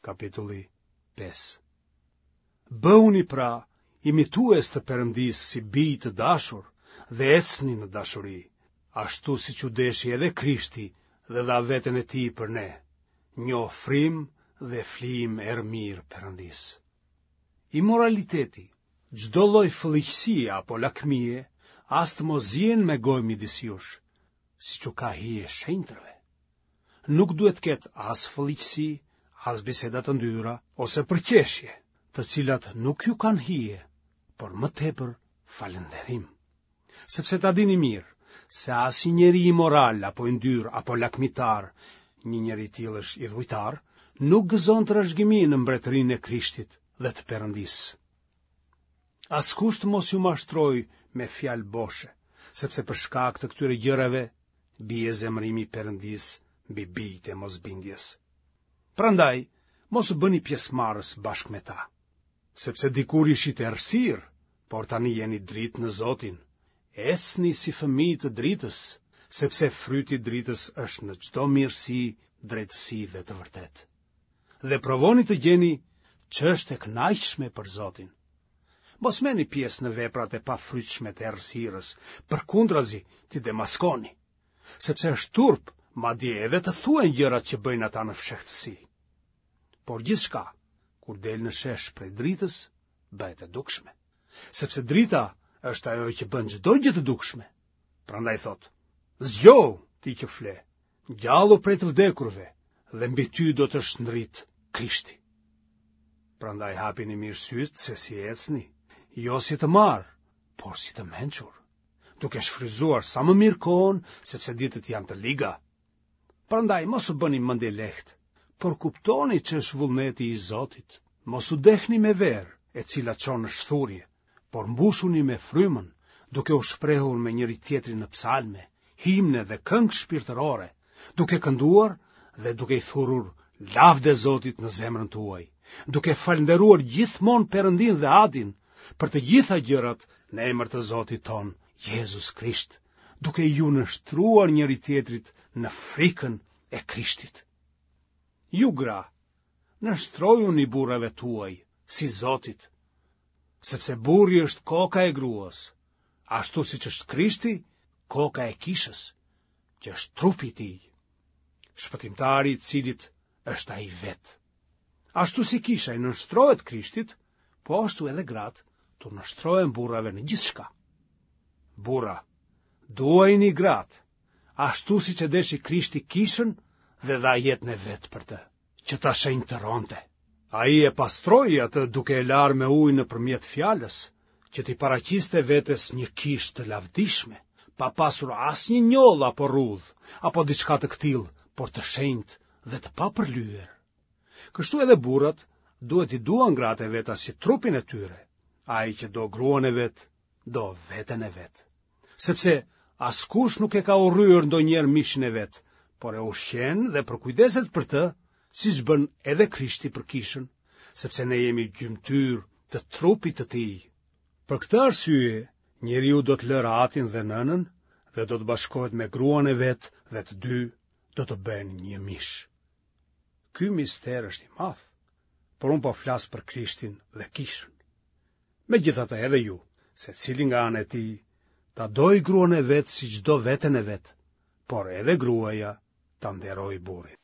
Kapitulli 5. Bëhuni pra imitues të Perëndisë si bij të dashur dhe ecni në dashuri, ashtu siç ju deshi edhe Krishti dhe dha veten e tij për ne, një ofrim dhe flijim erëmirë Perëndisë. Imoraliteti, çdo lloj fëlliqësie apo lakmie, as të mos ziejnë me gojë midis jush, siç u ka hije shenjtërve. Nuk duhet të ketë as fëlliqësi, as biseda të ndyra ose përqeshje, të cilat nuk ju kanë hije, por më tepër falënderim. Sepse ta dini mirë, se asnjë njeri imoral apo i ndyrë apo lakmitar, një njeri i tillë është idhujtar, nuk gëzon trashëgimi në mbretërinë e Krishtit dhe të Perëndisë. Askush të mos ju mashtrojë me fjalë boshe, sepse për shkak të këtyre gjërave bie zemërimi i Perëndisë mbi bijtë e mosbindjes. Prandaj, mos u bëni pjesëmarrës bashkë me ta, sepse dikur ishit errësirë, por tani jeni dritë në Zotin. Ecni si fëmijë të dritës, sepse fryti i dritës është në çdo mirësi, drejtësi dhe të vërtetë. Dhe provoni të gjeni ç'është e kënaqshme për Zotin. Mos merrni pjesë në veprat e pafrytshme të errësirës, përkundrazi t'i demaskoni, sepse është turp, madje edhe të thuhen gjërat që bëjnë ata në fshehtësi. Por gjithçka, kur del në shesh prej dritës, bëhet e dukshme. Sepse drita është ajo që bën çdo gjë të dukshme. Prandaj thotë, zgjohu ti që fle, Ngjallu prej të vdekurve dhe mbi ty do të shndritë Krishti. Prandaj hapini mirë sytë se si ecni, jo si të marrë, por si të mençur, duke shfrytëzuar sa më mirë kohën, sepse ditët janë të liga. Prandaj mos u bëni mendjelehtë, por kuptoni ç'është vullneti i Zotit. Mos u dehni me verë, e cila çon në shthurje, por mbushuni me frymën, duke u shprehur me njëri-tjetrin në psalme, himne dhe këngë shpirtërore, duke kënduar dhe duke i thurur lavde Zotit në zemrën tuaj, duke falënderuar gjithmonë Perëndinë dhe Atin për të gjitha gjërat në emër të Zotit tonë, Jezus Krisht, duke iu nënshtruar njëri-tjetrit në frikën e Krishtit. Ju gra, nënshtrojuni burrave tuaj, si Zotit, sepse burri është koka e gruas, ashtu siç është Krishti, koka e kishës, që është trupi i tij, shpëtimtari i të cilit është ai vetë. Ashtu si kisha i nënshtrohet Krishtit, po ashtu edhe gratë t'u nënshtrohen burrave në gjithçka. Burra, duajini gratë, ashtu siç e deshi Krishti kishën dhe dha jetën e vet për të. që ta shenjtëronte. Ai e pastroi atë duke e larë me ujë nëpërmjet fjalës, që t'i paraqiste vetes një kishë të lavdishme, pa pasur asnjë njollë apo rrudhë, apo diçka të këtillë, por të shenjtë dhe të papërlyer. Kështu edhe burrat duhet t'i duan gratë e veta si trupin e tyre, ai që do gruan e vet, do veten e vet. Sepse askush nuk e ka urryer ndonjëherë mishin e vet, por e ushqen dhe përkujdeset për të, siç bën edhe Krishti për kishën, sepse ne jemi gjymtyrë të trupit të tij. Për këtë arsye, njeriu do të lërë atin dhe nënën dhe do të bashkohet me gruan e vet dhe të dy do të bëhen një mish. Ky mister është i madh, por unë po flas për Krishtin dhe kishën. Megjithatë edhe ju, secili nga ana e tij, ta dojë gruan e vet siç do veten e vet, por edhe gruaja ta nderojë burrin.